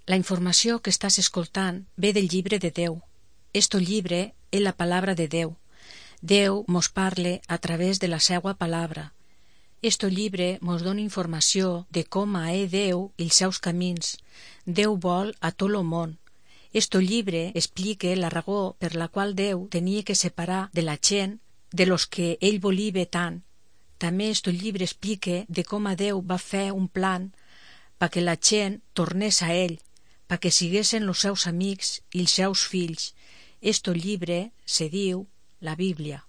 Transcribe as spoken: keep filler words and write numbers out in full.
La informació que estàs escoltant ve del llibre de Déu. Esto llibre és la palabra de Déu. Déu mos parle a través de la seua palabra. Esto llibre mos dona informació de com és Déu i els seus camins. Déu vol a tot lo món. Esto llibre explica la raó per la qual Déu tenia que separar de la gent de los que ell volia tant. També esto llibre explica de com a Déu va fer un plan pa que la gent tornés a ell, pa que siguessin los seus amics i els seus fills. Esto llibre se diu la Bíblia.